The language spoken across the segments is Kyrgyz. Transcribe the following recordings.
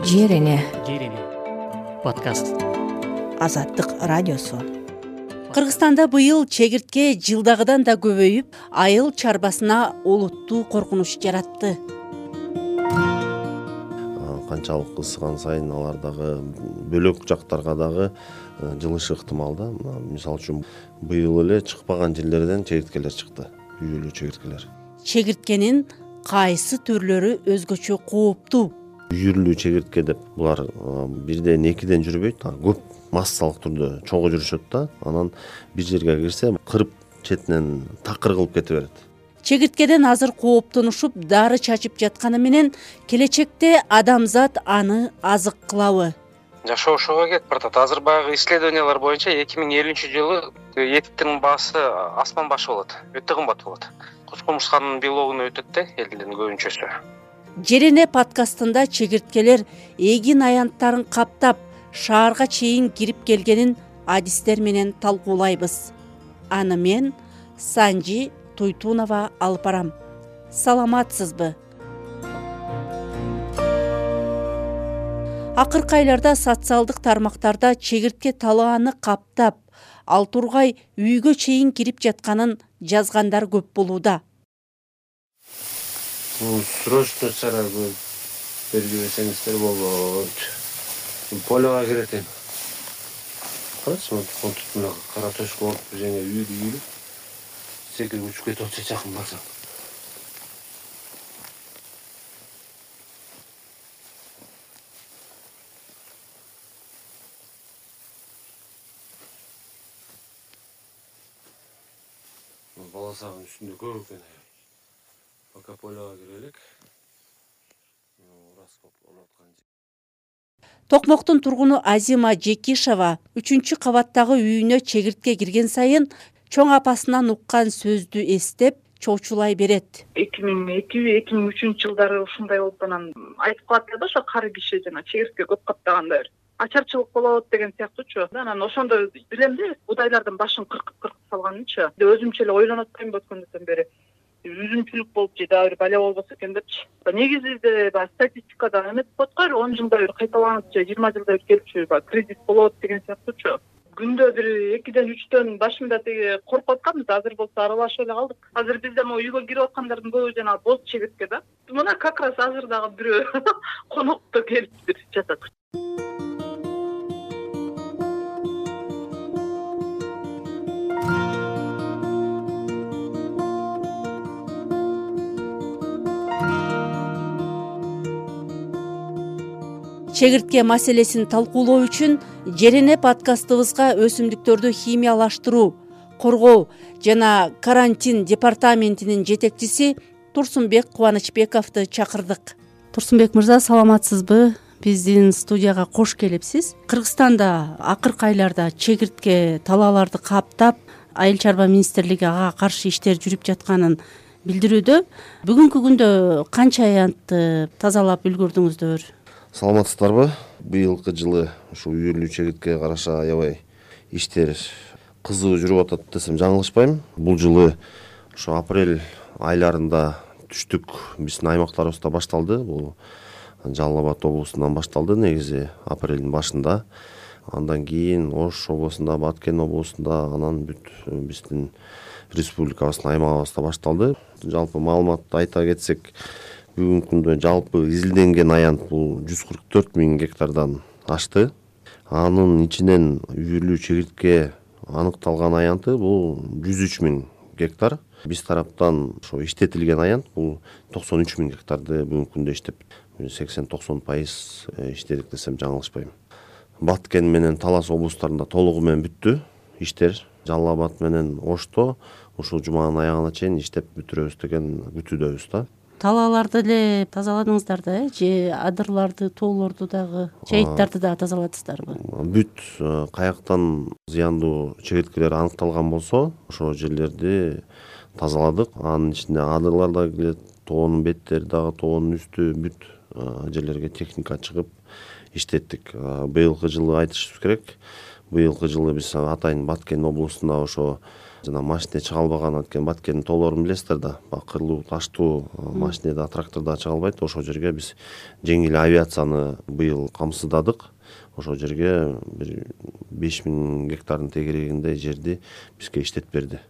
Жерене подкаст. Азаттык радиосу. Кыргызстанда быйыл чегиртке жылдагыдан да көбөйүп, айыл чарбасына олуттуу коркунуч жаратты. Канчалык ысыган сайын алар дагы бөлөк жактарга дагы жылышы ыктымал да. Мисалы үчүн быйыл эле чыкпаган жерлерден чегирткелер чыкты. Үйүрлүү чегирткелер. Чегирткенин кайсы түрлөрү өзгөчө кооптуу? Үйүрлүү чегиртке деп булар бирден экиден жүрбөйт, көп массалык түрдө чогуу жүрүшөт да. Анан бир жерге кирсе кырып четинен такыр кылып кете берет. Чегирткеден азыр кооптонушуп, дары чачып жатканы менен келечекте адамзат аны азык кылабы? Жашоошуга кетип баратат. Азыр баягы исследованиялар боюнча 2050-жылы эттин баасы асман башы болот. Өтө кымбат болот. Куч-кумурсканын белогуна өтөт да элдин көбүнчөсү. Жерене подкастында чегирткелер эгин аянттарын каптап, шаарга чейин кирип келгенин адистер менен талкуулайбыз. Аны мен Санжи Туйтунова алып барам. Саламатсызбы? Акыркы айларда социалдык тармактарда чегиртке талааны каптап, ал тургай үйгө чейин кирип жатканын жазгандар көп болууда. Срочно чара бергибесеңиздер болот. Полега кирет. Карачы, мына кара төшкө болуп жеңе үйүлүп, секирип учуп кетип атса жакын барсаң. Баласагын үстүндө көп экен. Пока полега кирелик. Токмоктун тургуну Азима Жекишева 3-кабаттагы үйүнө чегиртке кирген сайын чоң апасынан уккан сөздү эстеп чоочулай берет. 2002-2003 жылдары ушундай болуп анан айтып калат да, ошо кары киши жана чегиртке көп каптаганда ачарчылык болот деген сыяктуучу. Анан ошондо билем да, будайлардын башын кыркып салганынчы. Өзүмчө эле ойлонуп атпайм өткөндөн бери. Үзүмчүлүк болуп же дагы бир бале болбосо экен депчи. Негизинде баягы статистикада эметип коет го, 10 жылда бир кайталанат же 20 жылда бир келипчи кризис болот деген сыяктуучу. Күндө бир 2-3 башымда теги коркуп атканбыз, азыр болсо аралашып эле калдык. Азыр бизде могу үйгө кирип аткандардын көбү жана боз чегиртке да. Мына как раз азыр дагы бирөө конокто келип жатат. Чегиртке маселесин талкуулоо үчүн Жерене подкастыбызга өсүмдүктөрдү химиялаштыруу, коргоо жана карантин департаментинин жетекчиси Турсунбек Кубанычбековду чакырдык. Турсунбек мырза, саламатсызбы? Биздин студияга кош келипсиз. Кыргызстанда акыркы айларда чегиртке талааларды каптап, Айыл чарба министрлиги ага каршы иштер жүрүп жатканын билдирүүдө. Бүгүнкү күндө канча аянтты тазалап үлгүрдүңүздөр? Саламатсыздарбы? Быйылкы жылы ушу үйүрлүү чегирткеге караша аябай иштер кызуу жүрүп атат десем жаңылышпайм. Бул жылы ошо апрель айларында түштүк биздин аймактарыбызда башталды. Бул Жалал Абад облусунан башталды негизи апрелдин башында. Андан кийин Ош облусунда, Баткен облусунда, анан бүт биздин республикабыздын аймагыбызда башталды. Жалпы маалыматты айта кетсек, бүгүнкү күндө жалпы изилденген аянт бул 144 000 гектардан ашты. Анын ичинен үйүрлүү чегиртке аныкталган аянты бул 103 000 гектар. Биз тараптан ошо иштетилген аянт бул 93 000 гектарды бүгүнкү күндө иштеп, 80-90% иштедик десем жаңылышпайм. Баткен менен Талас облустарында толугу менен бүттү иштер. Жалал Абад менен Ошто ушул жуманын аягына чейин иштеп бүтүрөбүз деген күтүүдөбүз да. Талааларды эле тазаладыңыздар да, же адырларды, тоолорду дагы, чайыттарды дагы тазаладыңыздарбы? Бүт каяктан зыяндуу чегирткелер аныкталган болсо, ошол жерлерди тазаладык. Анын ичинде адырлар да кирет, тоонун беттери дагы, тоонун үстү, бүт жерлерге техника чыгып иштеттик. Быйылкы жылы айтышыбыз керек. Быйылкы жылы биз атайын Баткен облусунда ошо жана машине чыга албаган, анткени Баткендин тоолорун билесиздер да, бакырлуу, таштуу, машинеда, тракторда чыга албайт. Ошол жерге биз жеңил авиацияны быйыл камсыздадык. Ошол жерге бир 5000 гектардын тегерегиндей жерди бизге иштетип берди.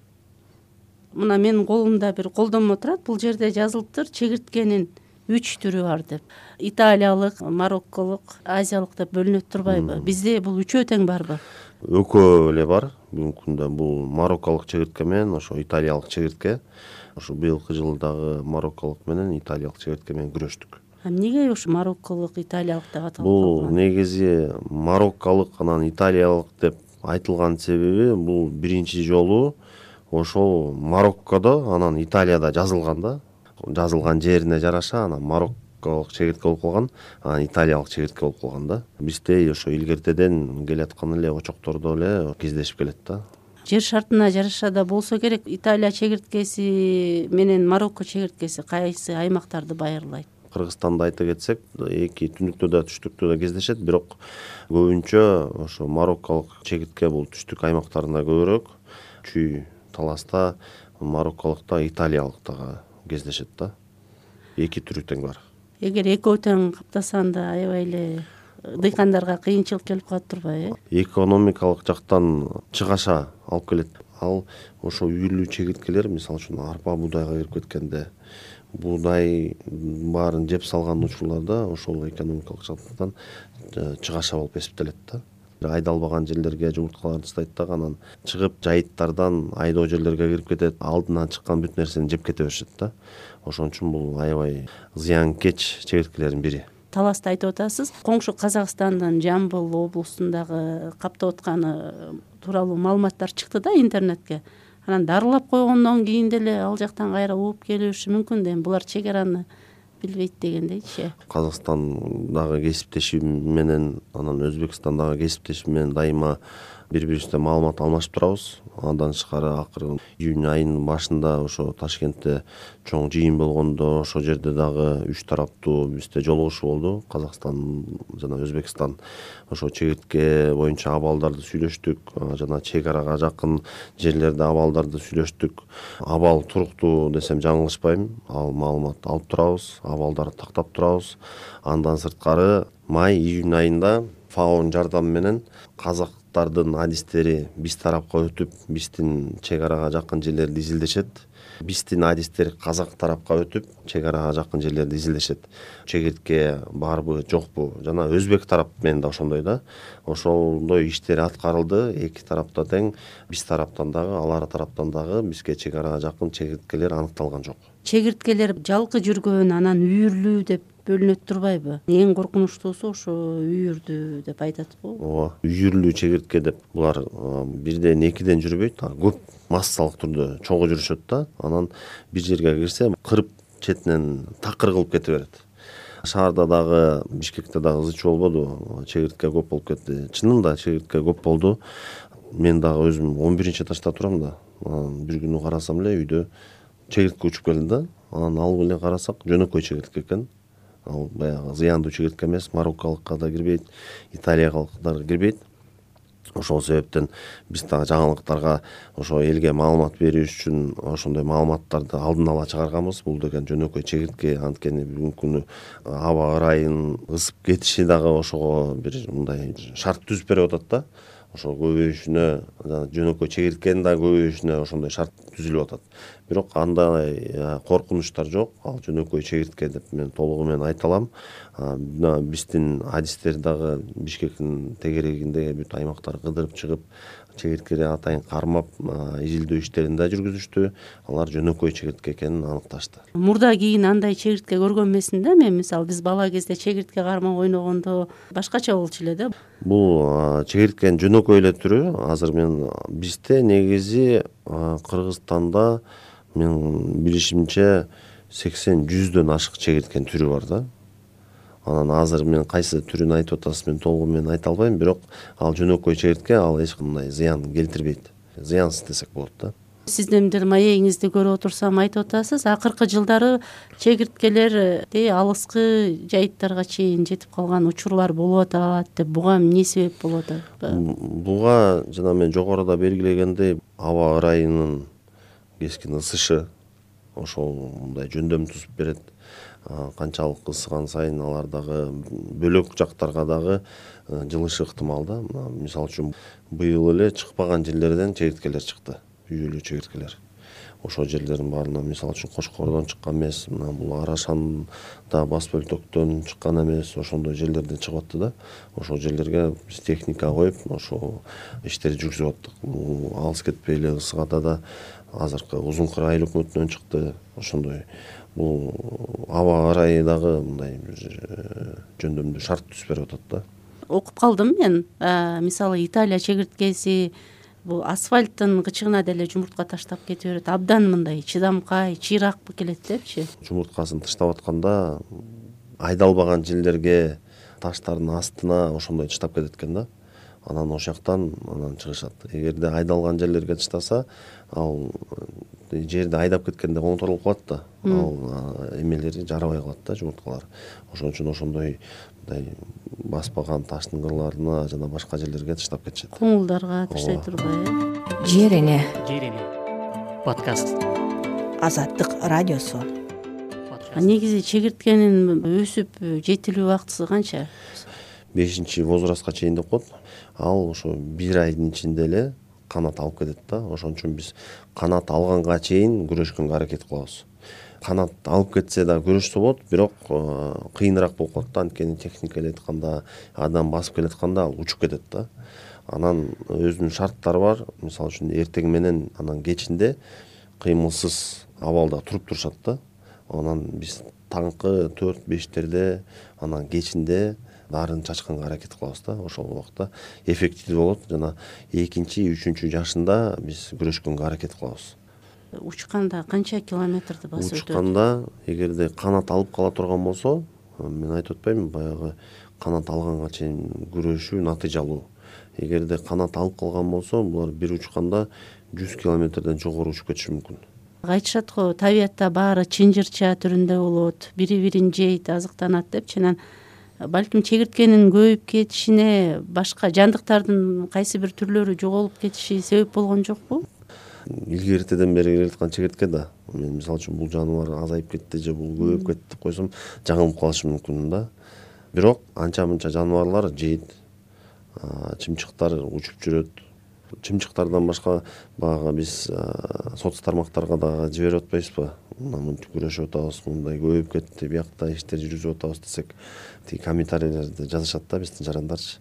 Мына менин колумда бир колдонмо турат. Бул жерде жазылыптыр чегирткенин 3 түрү бар деп. Италиялык, марокколук, азиялык деп бөлүнөт турбайбы? Бизде бул үчөө тең барбы? Экөө эле бар. Бүгүнкү күндө бул марокколук чегиртке менен ошо италиялык чегиртке. Ошо быйылкы жылы дагы марокколук менен италиялык чегиртке менен күрөштүк. Эмнеге ушу марокколук, италиялык деп аталып Бул калган? негизи марокколук анан италиялык деп айтылган себеби бул биринчи жолу ошол Мароккодо анан Италияда жазылган да. Жазылган жерине жараша анан марокколук чегиртке болуп калган, анан италиялык чегиртке болуп калган да. Бизде ошо илгертеден келаткан эле очоктордо эле кездешип келет да. Жер шартына жараша да болсо керек. Италия чегирткеси менен Марокко чегирткеси кайсы аймактарды байырлайт? Кыргызстанды айта кетсек, эки түндүктө да түштүктө да кездешет, бирок көбүнчө ошо марокколук чегиртке бул түштүк аймактарында көбүрөөк. Чүй, Таласта, марокколукта, италиялыктагы кездешет да. Эки түрү тең бар. Эгер экөө тең каптасанда аябай эле дыйкандарга кыйынчылык келип калат турбайбы? Экономикалык жактан чыгаша алып келет. Ал ошо үйүрлүү чегирткелер, мисалы үчүн арпа, буудайга кирип кеткенде, буудай баарын жеп салган учурларда ошол экономикалык жактан чыгаша болуп эсептелет да. Айдалбаган жерлерге жумурткаларды тастайт дагы, анан чыгып жайыттардан айдоо жерлерге кирип кетет, алдынан чыккан бүт нерсени жеп кете беришет да. Ошон үчүн бул аябай зыянкеч чегирткелердин бири. Таласты айтып атасыз. Коңшу Казакстандын Жамбыл облусундагы каптап атканы тууралуу маалыматтар чыкты да интернетке. Анан дарылап койгондон кийин деле ал жактан кайра ууп келиши мүмкүн да. Булар чек араны билбейт дегендейчи. Казакстандагы кесиптешим менен анан Өзбекстандагы кесиптешим менен дайыма бири-бирибизде маалымат алмашып турабыз. Андан тышкары акыры июнь айынын башында ошо Ташкентте чоң жыйын болгондо ошол жерде дагы үч тараптуу бизде жолугушуу болду. Казакстан жана Өзбекстан ошо чегиртке боюнча абалдарды сүйлөштүк, жана чек арага жакын жерлерде абалдарды сүйлөштүк. Абал туруктуу десем жаңылышпайм. Ал маалымат алып турабыз, абалдарды тактап турабыз. Андан сырткары май-июнь айында ФАОнун жардамы менен казактардын адистери биз тарапка өтүп, биздин чек арага жакын жерлерди изилдешет. Биздин адистер казак тарапка өтүп, чек арага жакын жерлерди изилдешет. Чегиртке барбы, жокпу? Жана өзбек тарап менен да ошондой да. Ошондой иштер аткарылды. Эки тарапта тең, биз тараптан дагы, алар тараптан дагы бизге чек арага жакын чегирткелер аныкталган жок. Чегирткелер жалкы жүргөн, анан үйүрлүү деп бөлүнөт турбайбы? Эң коркунучтуусу ошо үйүрдүү деп айтат го. Ооба, үйүрлүү чегиртке деп булар бирден экиден жүрбөйт, көп массалык түрдө чогуу жүрүшөт да. Анан бир жерге кирсе, кырып четинен такыр кылып кете берет. Шаарда дагы, Бишкекте дагы ызы чуу болбоду, чегиртке көп болуп кетти. Чынында чегиртке көп болду. Мен дагы өзүм 11-этажда турам да. Бир күнү карасам эле үйдө чегиртке учуп келди да. Анан алып эле карасак, жөнөкөй чегиртке экен. Ал баягы зыяндуу чегиртке эмес, марокколукка да кирбейт, италиялыктар кирбейт. Ошол себептен биз дагы жаңылыктарга ошо элге маалымат берүү үчүн ошондой маалыматтарды алдын ала чыгарганбыз. Бул деген жөнөкөй чегиртке, анткени бүгүнкү күнү аба ырайынын ысып кетиши дагы ошого бир мындай шарт түзүп берип атат да. Ошо көбөйүшүнө, жөнөкөй чегирткенин да көбөйүшүнө ошондой шарт түзүлүп атат. Бирок андай коркунучтар жок. Ал жөнөкөй чегиртке деп мен толугу менен айта алам. Биздин адистер дагы Бишкектин тегерегинде бүт аймактар кыдырып чыгып, чегирткени атайын кармап, изилдөө иштерин да жүргүзүштү. Алар жөнөкөй чегиртке экенин аныкташты. Мурда кийин андай чегиртке көргөн эмесмин да мен. Мисалы биз бала кезде чегиртке кармак ойногондо башкача болчу эле да. Бул чегирткенин жөнөкөй эле түрү. Азыр мен бизде негизи Кыргызстанда мен билишимче 80-100дөн ашык чегирткенин түрү бар да. Анан азыр мен кайсы түрүн айтып атасыз, мен толугу менен айта албайм, бирок ал жөнөкөй чегиртке, ал эч кандай зыян келтирбейт. Зыянсыз десек болот да. Сиздин бир маегиңизди көрүп отурсам айтып атасыз, акыркы жылдары чегирткелер алыскы жайыттарга чейин жетип калган учурлар болуп атат деп. Буга эмне себеп болуп атат? Буга жана мен жогоруда белгилегендей аба ырайынын кескин ысышы ошол мындай жөндөм тузуп берет. Канчалык ысыган сайын алар дагы бөлөк жактарга дагы жылышы ыктымал да. Мисалы үчүн быйыл эле чыкпаган жерлерден чегирткелер чыкты, үйүлүү чегирткелер. Ошол жерлердин баарынан мисалы үчүн Кочкордон чыккан эмес, мына бул Арашанда, Бас Бөлтөктөн чыккан эмес, ошондой жерлерден чыгып атты да. Ошол жерлерге биз техника коюп, ошол иштерди жүргүзүп аттык. Алыс кетпей эле Ысыкада да азыркы Узун Кыр айыл өкмөтүнөн чыкты. Ошондой бул аба ырайы дагы мындай жөндөмдүү шарт түзүп берип атат да. Окуп калдым мен. Мисалы Италия чегирткеси бул асфальттын кычыгына деле жумуртка таштап кете берет. Абдан мындай чыдамкай, чыйрак келет депчи. Жумурткасын таштап атканда айдалбаган жерлерге, таштардын астына ошондой таштап кетет экен да. Анан ошол жактан чыгышат. Эгерде айдалган жерлерге таштаса, ал жерди айдап кеткенде оңторулуп калат да. Ал эмелери жарабай калат да, жумурткалар. Ошон үчүн ошондой мындай баспаган таштын кырларына жана башка жерлерге таштап кетишет. Коңулдарга таштай турбай. Жер эне подкаст. Азаттык радиосу. Негизи чегирткенин өсүп жетилүү убактысы канча? 5-возрастка чейин деп коет. Ал ошо 1 айдын ичинде эле канат алып кетет да. Ошон үчүн биз канат алганга чейин күрөшкөнгө аракет кылабыз. Канат алып кетсе да күрөшсө болот, бирок кыйыныраак болуп калат да. Анткени техника эле айтканда, адам басып келатканда ал учуп кетет да. Анан өзүнүн шарттары бар. Мисалы үчүн эртең менен анан кечинде кыймылсыз абалда туруп турушат да. Анан биз таңкы 4-5терде анан кечинде дарын чачканга аракет кылабыз да. Ошол убакта эффективдүү болот. Жана 2-3 жашында биз күрөшкөнгө аракет кылабыз. Учканда канча километрди басып өтөт? Учканда эгерде канат алып кала турган болсо, мен айтып атпаймынбы, баягы канат алганга чейин күрөшүү натыйжалуу. Эгерде канат алып калган болсо, булар бир учканда 100 километрден жогору учуп кетиши мүмкүн. Айтышат го, табиятта баары чынжырча түрүндө болот, бири-бирин жейт, азыктанат депчи. Балким чегирткенин көбөйүп кетишине башка жандыктардын кайсы бир түрлөрү жоголуп кетиши себеп болгон жокпу? Илгертеден бери келаткан чегиртке да. Мен мисалы үчүн бул жаныбар азайып кетти же бул көбөйүп кетти деп койсом, жаңылып калышы мүмкүн да. Бирок анча-мынча жаныбарлар жейт. Чымчыктар учуп жүрөт. Чымчыктардан башка баягы биз соц тармактарга дагы жиберип атпайбызбы? Мынтип күрөшүп атабыз, мындай көбөйүп кетти, биякта иштер жүргүзүп атабыз десек, тиги комментарийлерди жазышат да биздин жарандарчы.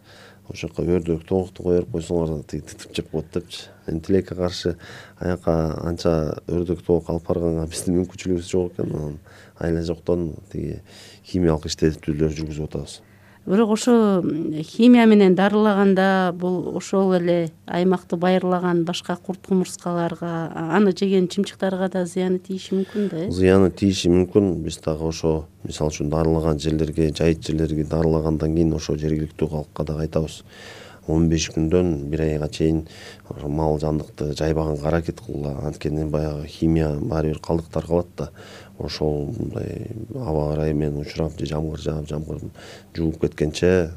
Ошол жака өрдөк тоңукту кое берип койсоңор тиги титип жеп коет депчи. Тилекке каршы аяка анча өрдөк тоңук алып барганга биздин мүмкүнчүлүгүбүз жок экен. Анан айла жоктон тиги химиялык иштетүүлөр жүргүзүп атабыз. Бирок ошо химия менен дарылаганда бул ошол эле аймакты байырлаган башка курт кумурскаларга, аны жеген чымчыктарга да зыяны тийиши мүмкүн да. Зыяны тийиши мүмкүн. Биз дагы ошо мисалы үчүн дарылаган жерлерге, жайыт жерлерге дарылагандан кийин ошо жергиликтүү калкка дагы айтабыз. 15 күндөн 1 айга чейин мал жандыкты жайбаганга аракет кылгыла. Анткени баягы химия баары бир калдыктар калат да. Ошол мындай аба ырайы менен учурап же жамгыр жаап, жамгыр жууп кеткенче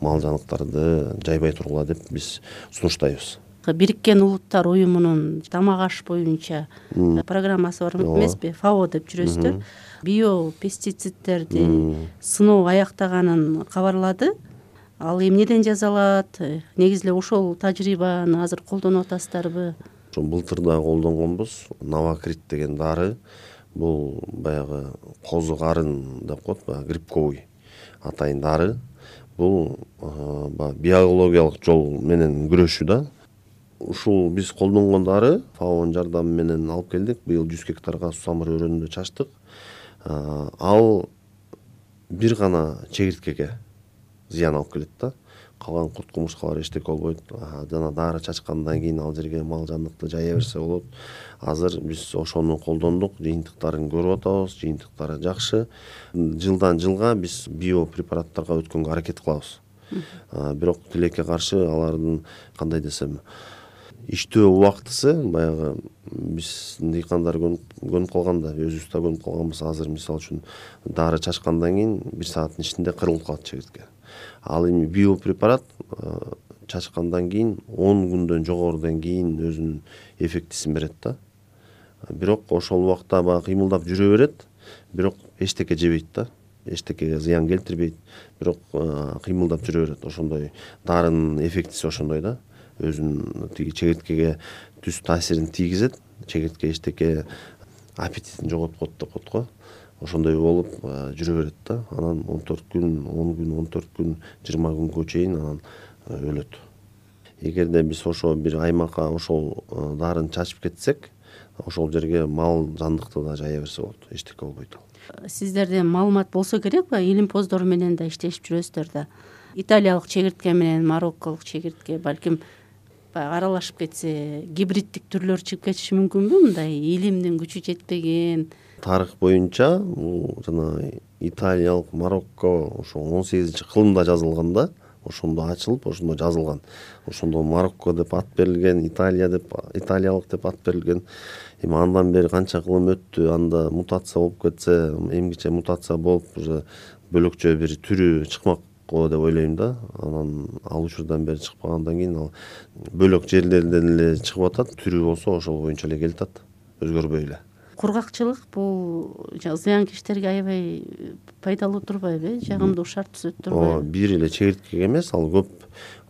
мал жаныктарды жайбай тургула деп биз сунуштайбыз. Бириккен Улуттар уюмунун тамак аш боюнча программасы бар эмеспи? ФАО деп жүрөсүздөр. Биопестицидтерди сыноо аяктаганын кабарлады. Ал эмнеден жасалат? Негизи эле ошол тажрыйбаны азыр колдонуп атасыздарбы? Ошо былтыр да колдонгонбуз. Новокрит деген дары. Бул баягы козу карын деп коет, грибковый атайын дары. Бул биологиялык жол менен күрөшүү да. Ушул биз колдонгон дары ФАОнун жардамы менен алып келдик. Быйыл 100 гектарга сусамыр өрөөнүндө чачтык. Ал бир гана чегирткеге зыян алып келет да. Калган курт кумурскалар эчтеке болбойт. Жана дары чачкандан кийин ал жерге мал жандыкты жая берсе болот. Азыр биз ошону колдондук, жыйынтыктарын көрүп атабыз, жыйынтыктары жакшы. Жылдан жылга биз биопрепараттарга өткөнгө аракет кылабыз. Бирок тилекке каршы алардын кандай десем, иштөө убактысы баягы биз дыйкандар көнүп калганда, өзүбүз да көнүп калганбыз. Азыр мисалы үчүн дары чачкандан кийин 1 сааттын ичинде кырылып калат чегиртке. Ал эми биопрепарат чачкандан кийин 10 күндөн жогорудон кийин өзүнүн эффектисин берет да. Бирок ошол убакта баягы кыймылдап жүрө берет, бирок эчтеке жебейт да. Эчтекеге зыян келтирбейт, бирок кыймылдап жүрө берет. Ошондой дарынын эффектиси ошондой да. Өзүнүн тиги чегирткеге түз таасирин тийгизет. Чегиртке эчтеке аппетитин жоготкот деп коет го. Ошондой болуп жүрө берет да. Анан 14 күн, 10 күн, 14 күн, 20 күнгө чейин анан өлөт. Эгерде биз ошо бир аймакка ошол дарыны чачып кетсек, ошол жерге мал жандыкты да жая берсе болот. Эчтеке болбойт ал. Сиздерде маалымат болсо керек ба? Илимпоздор менен да иштешип жүрөсүздөр да. Италиялык чегиртке менен марокколук чегиртке балким аралашып кетсе, гибриддик түрлөр чыгып кетиши мүмкүнбү? Мындай илимдин күчү жетпеген. Тарых боюнча бул жана италиялык, Марокко ошо 18-кылымда жазылган да. Ошондо ачылып, ошондо жазылган. Ошондо Марокко деп ат берилген, италиялык деп ат берилген. Эми андан бери канча кылым өттү, анда мутация болуп кетсе, эмгиче мутация болуп, уже бөлөкчө бир түрү чыкмак деп ойлойм да. Анан ал учурдан бери чыкпагандан кийин ал бөлөк жерлерден эле чыгып атат. Түрү болсо ошол боюнча эле келип атат, өзгөрбөй эле. Кургакчылык бул зыянкечтерге аябай пайдалуу турбайбы? Жагымдуу шарт түзөт турбайбы? Бир эле чегирткеге эмес, ал көп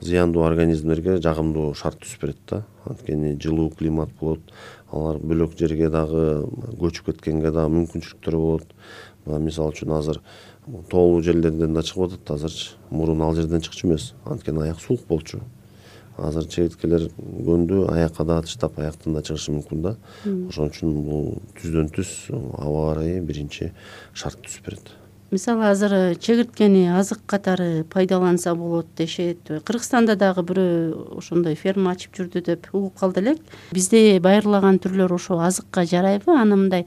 зыяндуу организмдерге жагымдуу шарт түзүп берет да. Анткени жылуу климат болот, алар бөлөк жерге дагы көчүп кеткенге дагы мүмкүнчүлүктөр болот. Мисалы үчүн азыр тоолуу жерлерден да чыгып атат. Азырчы мурун ал жерден чыкчу эмес, анткени аяк суук болчу. Азыр чегирткелер көндү аякка да тыштап аяктан да чыгышы мүмкүн да. Ошон үчүн бул түздөн түз аба ырайы биринчи шарт түзүп берет. Мисалы азыр чегирткени азык катары пайдаланса болот дешет. Кыргызстанда дагы бирөө ошондой ферма ачып жүрдү деп угуп калды элек. Бизде байырлаган түрлөр ошо азыкка жарайбы? Аны мындай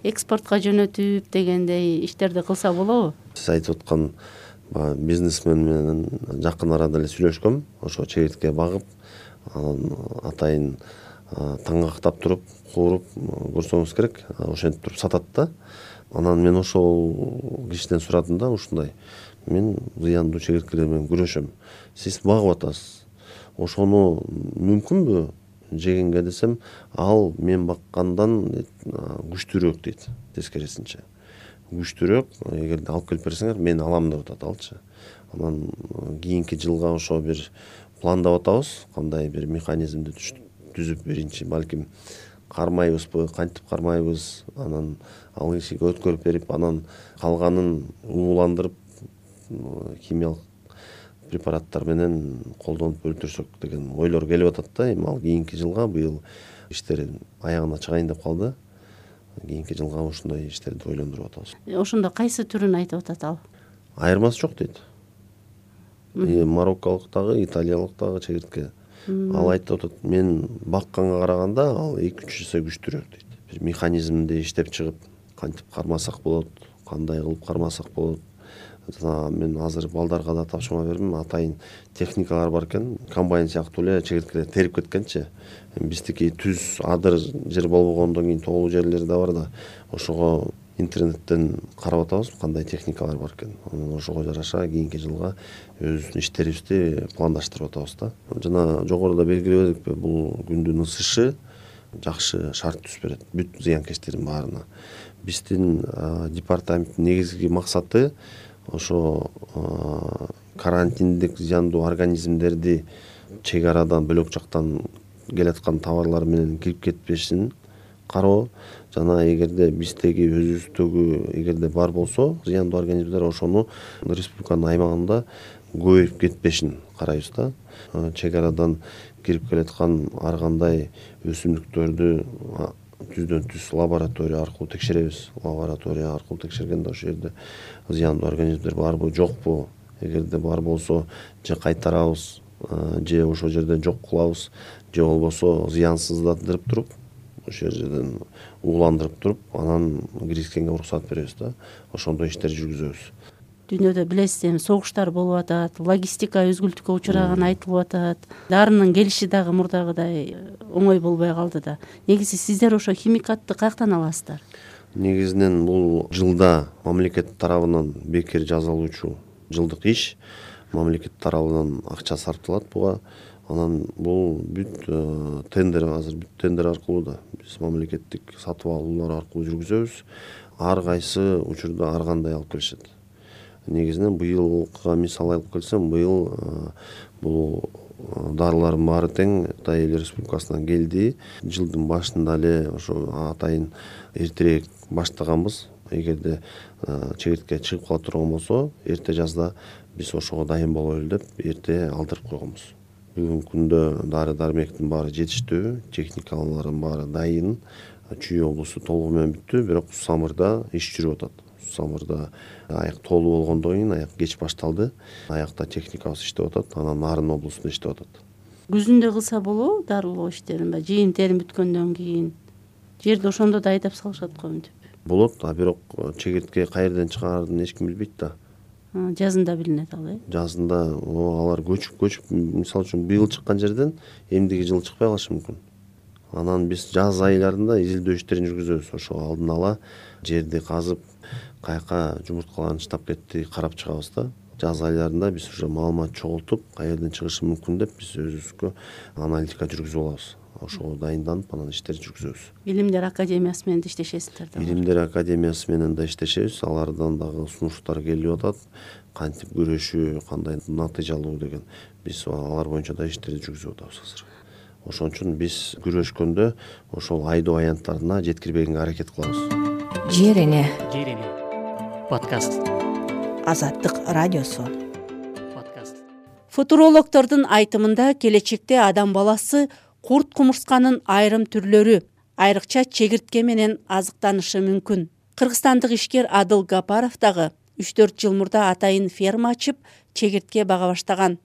экспортко жөнөтүп дегендей иштерди кылса болобу? Сиз айтып аткан бизнесмен менен жакын арада эле сүйлөшкөм. Ошо чегиртке багып, анан атайын таңгактап туруп, кууруп көрсөңүз керек. Ошентип туруп сатат да. Анан мен ошол кишиден сурадым да, ушундай. Мен зыяндуу чегирткелер менен күрөшөм. Сиз багып атасыз. Ошону мүмкүнбү жегенге десем, ал мен баккандан күчтүүрөөк дейт, тескерисинче. Күчтүүрөөк, эгерде алып келип берсеңер, мен алам деп атат алчы. Анан кийинки жылга ошо бир пландап атабыз, кандай бир механизмди түзүп биринчи, балким кармайбызбы, кантип кармайбыз, анан ал кишиге өткөрүп берип, анан калганын ууландырып химиялык препараттар менен колдонуп өлтүрсөк деген ойлор келип атат да. Эми ал кийинки жылга, быйыл иштер аягына чыгайын деп калды. Кийинки жылга ушундай иштерди ойлондуруп атабыз. Ошондо кайсы түрүн айтып атат ал? Айырмасы жок дейт. Марокколук дагы, италиялык дагы чегиртке. Ал айтып атат, мен бакканга караганда ал 2-3 эсе күчтүүрөөк дейт. Бир механизмди иштеп чыгып, кантип кармасак болот, кандай кылып кармасак болот. Мен азыр балдарга да тапшырма бердим. Атайын техникалар бар экен. Комбайн сыяктуу эле чегирткелер терип кеткенчи. Биздики түз адыр жер болбогондон кийин тоолуу жерлер да бар да. Ошого интернеттен карап атабыз, кандай техникалар бар экен. Ошого жараша кийинки жылга өзүбүздүн иштерибизди пландаштырып атабыз да. Жана жогоруда белгилебедикпи, бул күндүн ысышы жакшы шарт түзүп берет бүт зыянкечтердин баарына. Биздин департаменттин негизги максаты ошо карантиндик зыяндуу организмдерди чек арадан, бөлөк жактан келаткан товарлар менен кирип кетпешин кароо, жана эгерде биздеги өзүбүздөгү эгерде бар болсо зыяндуу организмдер, ошону республиканын аймагында көбөйүп кетпешин карайбыз да. Чек арадан кирип келаткан ар кандай өсүмдүктөрдү түздөн түз лаборатория аркылуу текшеребиз. Лаборатория аркылуу текшергенде ошол жерде зыяндуу организмдер барбы, жокпу? Эгерде бар болсо, же кайтарабыз, же ошол жерден жок кылабыз, же болбосо зыянсыздандырып туруп, ошол жерден ууландырып туруп, анан киргизгенге уруксат беребиз да. Ошондой иштер жүргүзөбүз. дүйнөдө билесиз эми согуштар болуп атат, логистика үзгүлтүккө учураганы айтылып атат. Дарынын келиши дагы мурдагыдай оңой болбой калды да. Негизи сиздер ошо химикатты каяктан аласыздар? Негизинен бул жылда мамлекет тарабынан бекер жасалуучу жылдык иш, мамлекет тарабынан акча сарпталат буга. Анан бул бүт тендер, азыр бүт тендер аркылуу да биз мамлекеттик сатып алуулар аркылуу жүргүзөбүз. Ар кайсы учурда ар кандай алып келишет. Негизинен быйылга мисал алып келсем, быйыл бул дарылардын баары тең Кытай Эл Республикасынан келди. Жылдын башында эле ошо атайын эртерээк баштаганбыз. Эгерде чегиртке чыгып кала турган болсо, эрте жазда биз ошого дайын бололу деп эрте алдырып койгонбуз. Бүгүнкү күндө дары-дармектин баары жетиштүү, техникалардын баары дайын. Чүй облусу толугу менен бүттү, бирок Самырда иш жүрүп атат. Самырда аяк толуу болгондон кийин аяк кеч башталды. Аякта техникабыз иштеп атат, анан Нарын облусунда иштеп атат. Күзүндө кылса болобу дарылоо иштерин? Жыйын терим бүткөндөн кийин жерди ошондо да айдап салышат го мынтип. Болот, бирок чегиртке каерден чыгаарын эч ким билбейт да. Жазында билинет ал, Жазында алар көчүп, мисалы үчүн быйыл чыккан жерден эмдиги жылы чыкпай калышы мүмкүн. Анан биз жаз айларында изилдөө иштерин жүргүзөбүз. Ошо алдын ала жерди казып, каяка жумурткаларын штап кетти карап чыгабыз да. Жаз айларында биз уже маалымат чогултуп, каерден чыгышы мүмкүн деп биз өзүбүзгө аналитика жүргүзүп алабыз. Ошого дайынданып, анан иштерди жүргүзөбүз. Билимдер академиясы менен да иштешесиздер да. Билимдер академиясы менен да иштешебиз. Алардан дагы сунуштар келип атат. Кантип күрөшүү, кандай натыйжалуу деген. Биз алар боюнча да иштерди жүргүзүп атабыз азыр. Ошон үчүн биз күрөшкөндө ошол айдоо аянттарына жеткирбегенге аракет кылабыз. Жер эне подкаст. Азаттык радиосу. Футурологдордун айтымында келечекте адам баласы курт кумурсканын айрым түрлөрү, айрыкча чегиртке менен азыктанышы мүмкүн. Кыргызстандык ишкер Адыл Гапаров дагы 3-4 жыл мурда атайын ферма ачып, чегиртке бага баштаган.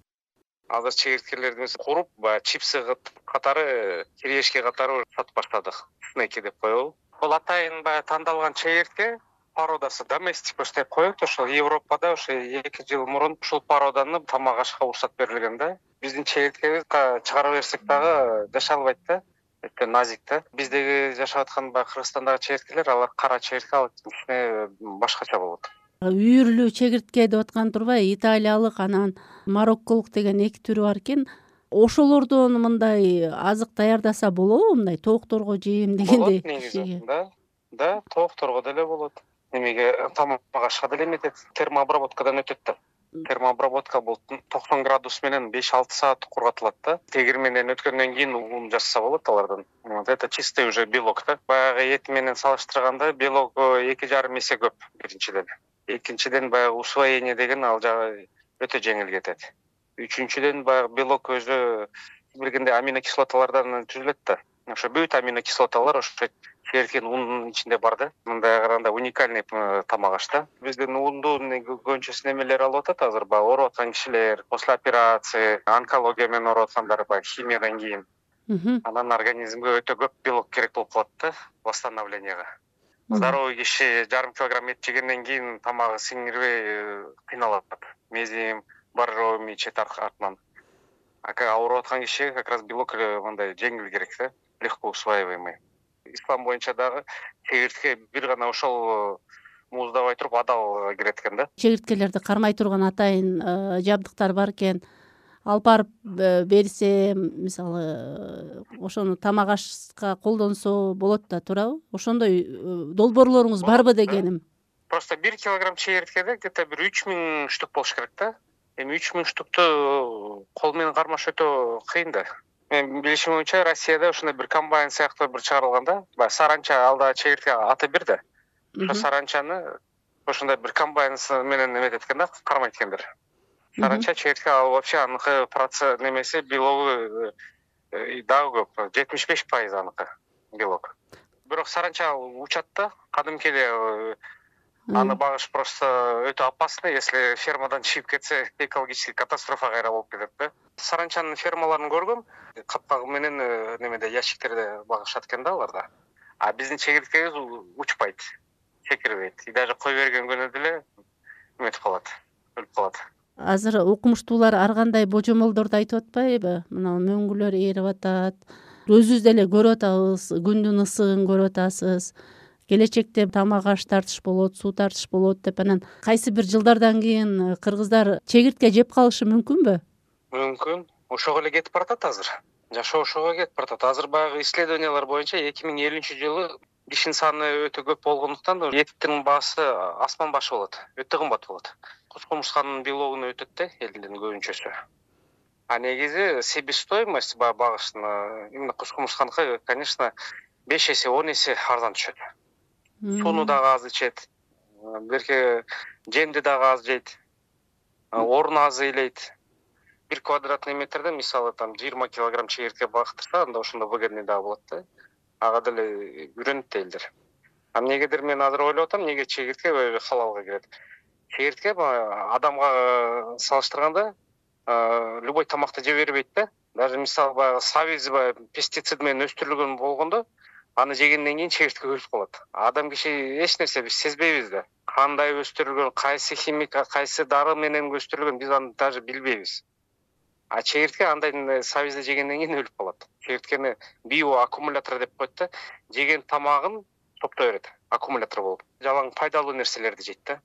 Азыр чегирткелерди куруп, чипсы катары, кирешке катары сатып баштадык. Снеки деп коебу. Бул атайын тандалган чегиртке породасы доместик деп коет. Ошол Европада ошо 2 жыл мурун ушул породаны тамак ашка уруксат берилген да. Биздин чегирткебиз чыгара берсек дагы жашай албайт да. Өтө назик да. Биздеги жашап аткан Кыргызстандагы чегирткелер, алар кара чегиртке, ал кичине башкача болот. Үйүрлүү чегиртке деп аткан турбайбы? Италиялык, анан марокколук деген 2 түрү бар экен. Ошолордон мындай азык даярдаса болобу? Мындай тоокторго жейм дегендей. Болот негизи. Да, тоокторго деле болот. Немеге тамак ашка деле эметет. Термообработкадан өтөт да. Термообработка бул 90 градус менен 5-6 саат кургатылат да. Тегирменден өткөндөн кийин ун жасаса болот алардан. Это чистый уже белок да. Баягы эт менен салыштырганда белок 2,5 эсе көп биринчиден. Экинчиден баягы усвоение деген ал жагы өтө жеңил кетет. Үчүнчүдөн баягы белок өзү билгендей аминокислоталардан түзүлөт да. Ошо бүт аминокислоталар ошо чегирткенин унунун ичинде бар да. Мындай караганда уникальный тамак аш да. Биздин ундун көбүнчөсү немелер алып атат азыр, ооруп аткан кишилер, после операции, онкология менен ооруп аткандар, химиядан кийин. Анан организмге өтө көп белок керек болуп калат да, восстановленияга. Здоровый киши 1,5 килограмм эт жегенден кийин тамагы сиңирбей кыйналат. Мезим, барроо мичет артынан. Ооруп аткан кишиге как раз белок мындай жеңил керек да, легко усваиваемый. Ислам боюнча дагы чегиртке бир гана ошол мууздабай туруп адал кирет экен да. Чегирткелерди кармай турган атайын жабдыктар бар экен. Алып барып берсе, мисалы, ошону тамак ашка колдонсо болот да, туурабы? Ошондой долбоорлоруңуз барбы дегеним? Просто 1 килограмм чегирткеде где-то бир 3000 штук болуш керек да. Эми 3000 штукту кол менен кармаш өтө кыйын да. Мен билишим боюнча Россияда ошондой бир комбайн сыяктуу бир чыгарылган да. Саранча алда чегиртке аты бир да. Ошо саранчаны ошондой бир комбайн менен эметет экен да, кармайт экендер. Саранча чегиртке ал вообще аныкы процесс немеси белогу дагы көп, 75% аныкы белок. Бирок саранча учат да, кадимки эле аны багыш просто өтө опасно, если фермадан чыгып кетсе, экологический катастрофа кайра болуп кетет да. Саранчанын фермаларын көргөм, капкагы менен немеде ящиктерде багышат экен да аларда. А биздин чегирткебиз учпайт, секирбейт. И даже кой берген күнү деле эметип калат, өлүп калат. Азыр окумуштуулар ар кандай божомолдорду айтып атпайбы? Мына мөңгүлөр ээрип атат, өзүбүз деле көрүп атабыз, күндүн ысыгын көрүп атасыз. Келечекте тамак аш тартыш болот, суу тартыш болот деп анан кайсы бир жылдардан кийин кыргыздар чегиртке жеп калышы мүмкүнбү? Мүмкүн. Ошого эле кетип баратат азыр. Жашоо ошого кетип баратат. Азыр баягы исследованиялар боюнча 2050-жылы кишинин саны өтө көп болгондуктан эттин баасы асман башы болот, өтө кымбат болот. Куш-кумурсканын белогуна өтөт да элдин көбүнчөсү. А негизи себестоимость багыштын именно куш-кумурсканыкы, конечно, 5 эсе, 10 эсе арзан түшөт. Сууну дагы аз ичет, берке жемди дагы аз жейт, орун аз ыйлайт. 1 квадратный метрде мисалы там 20 килограмм чегиртке багыттырса, анда ошондо выгодный дагы болот да. Ага деле үйрөнүп элдер. Эмнегедир мен азыр ойлоп атам, неге чегиртке халалга кирет? Чегиртке адамга салыштырганда любой тамакты жей бербейт да. Даже мисалы баягы сабиз пестицид менен өстүрүлгөн болгондо аны жегенден кийин чегиртке өлүп калат. Адам киши эч нерсе биз сезбейбиз да. Кандай өстүрүлгөн, кайсы химика, кайсы дары менен өстүрүлгөн, биз аны даже билбейбиз. А чегиртке андай сабизди жегенден кийин өлүп калат. Чегирткени биоаккумулятор деп коет да. Жеген тамагын топтой берет, аккумулятор болуп. Жалаң пайдалуу нерселерди жейт да.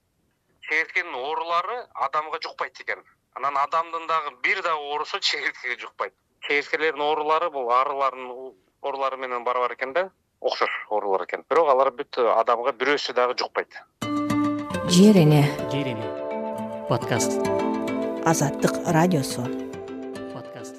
Чегирткенин оорулары адамга жукпайт экен. Анан адамдын дагы бир дагы оорусу чегирткеге жукпайт. Чегирткелердин оорулары бул арылардын оорулары менен барабар экен да, окшош оорулар экен. Бирок алар бүт адамга бирөөсү дагы жукпайт. Жерине подкаст. Азаттык радиосу. Подкаст.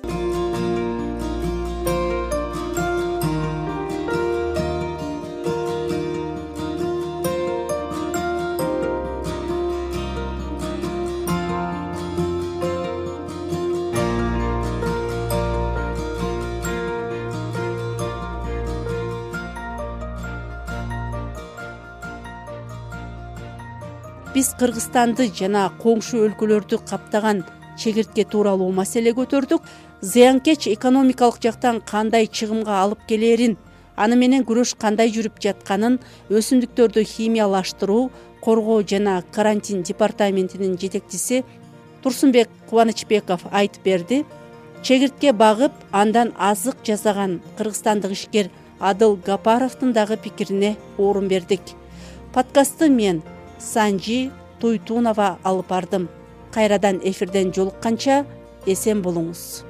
Биз Кыргызстанды жана коңшу өлкөлөрдү каптаган чегиртке тууралуу маселе көтөрдүк. Зыянкеч экономикалык жактан кандай чыгымга алып келерин, аны менен күрөш кандай жүрүп жатканын өсүмдүктөрдү химиялаштыруу, коргоо жана карантин департаментинин жетекчиси Турсунбек Кубанычбеков айтып берди. Чегиртке багып, андан азык жасаган кыргызстандык ишкер Адыл Гапаровдун дагы пикирине орун бердик. Подкастты мен Санжи Туйтунова алып бардым. Кайрадан эфирден жолукканча эсен болуңуз.